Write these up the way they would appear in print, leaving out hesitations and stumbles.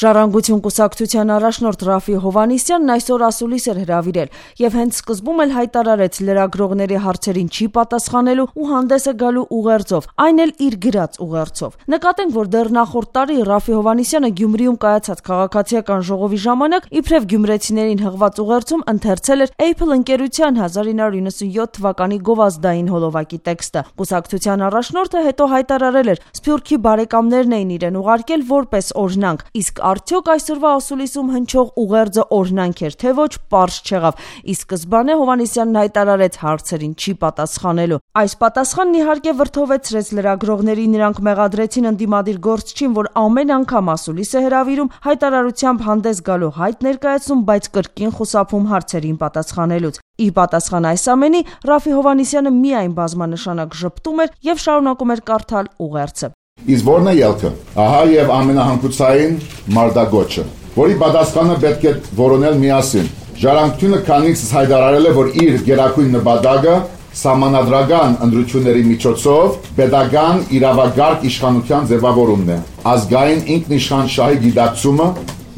Ժառանգություն կուսակցության առաջնորդ Ռաֆի Հովհաննիսյանն այսօր ասուլիս էր հրավիրել եւ հենց սկզբում էլ հայտարարեց լրագրողների հարցերին չի պատասխանելու ու հանդես է գալու ուղերձով, այն էլ իր գրած ուղերձով։ Նկատենք, որ դեռ նախորդ տարի Ռաֆի Հովհաննիսյանը Գյումրիում կայացած քաղաքացիական ժողովի ժամանակ իբրև գյումրեցիներին հղված ուղերձում ընթերցել էր Apple ընկերության 1997 թվականի գովազդային հոլովակի տեքստը։ Կուսակցության առաջնորդը հետո հայտարարել էր, Սփյուռքի բարեկամներն էին իրեն ուղարկել որպես օրհնանք, իսկ արդյոք այսօրվա ասուլիսում հնչող ուղերձը օրհնանք էր, թե ոչ, պարզ չեղավ։ Ի սկզբանե Հովհաննիսյանն հայտարարեց հարցերին չի պատասխանելու։ Այս պատասխանն իհարկե վրդովեցրեց լրագրողներին, նրանք մեղադրեցին ընդդիմադիր գործչին, որ ամեն անգամ ասուլիս է հրավիրում, հայտարարությամբ հանդես գալու հայտ ներկայացնում, բայց կրկին խուսափում հարցերին պատասխանելուց։ Ի պատասխան այս ամենի, Ռաֆի Հովհաննիսյանը միայն բազմանշանակ ժպտում էր եւ շարունակում էր կարդալ ուղերձը։ Իսկ որն է ելքը։ Ահա եւ ամենահանգուցային մարտագոչը, որի պատասխանը պետք է որոնել միասին։ Ժառանգությունը քանիցս հայտարարել է, որ իր գերակույն նպատակը սահմանադրական ընտրությունների միջոցով պետական իրավագարկ իշխանության ձևավորումն է, ազգային ինքնիշխան շահի գիտակցումը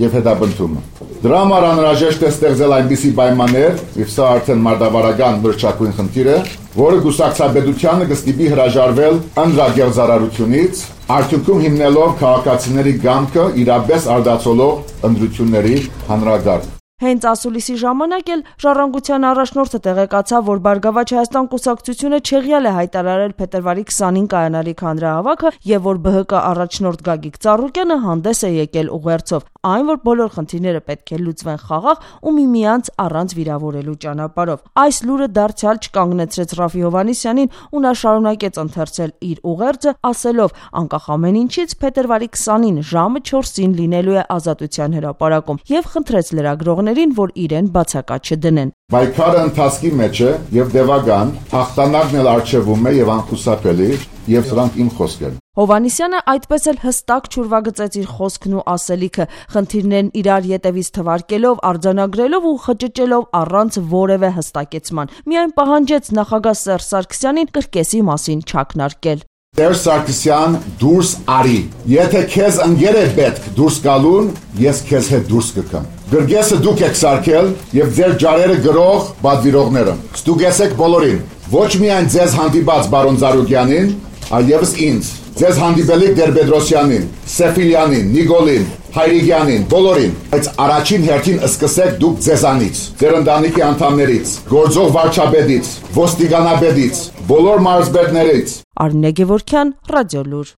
եւ հետապնդումը։ Դրա համար անհրաժեշտ է ստեղծել այնպիսի պայմաններ, եւ սա արդեն մարտավարական մրցակցային խնդիր է, որը գուսակցաբեդությանը կստիպի հրաժարվել ընդրագեղձարարությունից, արդյունքում հիմնելով քաղաքացիների գամքը իրապես արդացոլող ընտրությունների հանրագարկ։ Հենց ասուլիսի ժամանակ էլ Ժառանգության առաջնորդը տեղեկացավ, որ Բարգավաճ Հայաստան կուսակցությունը չեղյալ է հայտարարել փետրվարի 20-ին կայանալիք հանրահավաքը եւ որ ԲՀԿ առաջնորդ Գագիկ Ծառուկյանը հանդես է եկել ուղերձով, այն որ բոլոր խնդիրները պետք է լուծվեն խաղաղ ու միմյանց առանց վիրավորելու ճանապարհով։ Այս լուրը դարձյալ չկանգնեցրեց Ռաֆի Հովհաննիսյանին ու նա շարունակեց ընթերցել իր ուղերձը, ասելով, անկախ ամեն ինչից փետրվարի 20-ին ժամը 4-ին լինելու է Ազատության հրապարակում եւ խնդրեց լրագրողներին, որ իրեն բացակա չդնեն։ Պայքարը ընթացքի մեջ է եւ դեպական, հաղթանակն էլ արժևում է եւ անխուսափելի, եւ սրանք իմ խոսքերն։ Հովհաննիսյանը այդպես էլ հստակ չուրվագծեց իր խոսքն ու ասելիքը, խնդիրներն իրար ետևից թվարկելով, արձանագրելով ու խճճելով առանց որևէ հստակեցման։ Միայն պահանջեց նախագահ Սերժ Սարգսյանին կրկեսի մասին չակնարկել։ Սերժ Սարգսյան, դուրս արի։ Եթե քեզ ընկեր է պետք դուրս գալուն, ես քեզ հետ դուրս կգամ։ Գրգեսը դուք եք սարքել եւ ձեր ջարերը գրող բادرվիրողները։ Ստուգեցեք բոլորին։ Ոչ միայն ձեզ հանդիպած բարոն Զարուգյանին, այլևս ինձ։ Ձեզ հանդիպելիք Տեր-Պետրոսյանին, Սեֆիլյանին, Նիկոլին, Հայրիկյանին, բոլորին, բայց առաջին հերթին սկսեք դուք ձեզանից, ձեր ընտանիքի անդամներից, գործող վարչապետից, ոստիկանապետից, բոլոր մարզպետներից։ Արմինե Գևորգյան, Ռադիոլուր։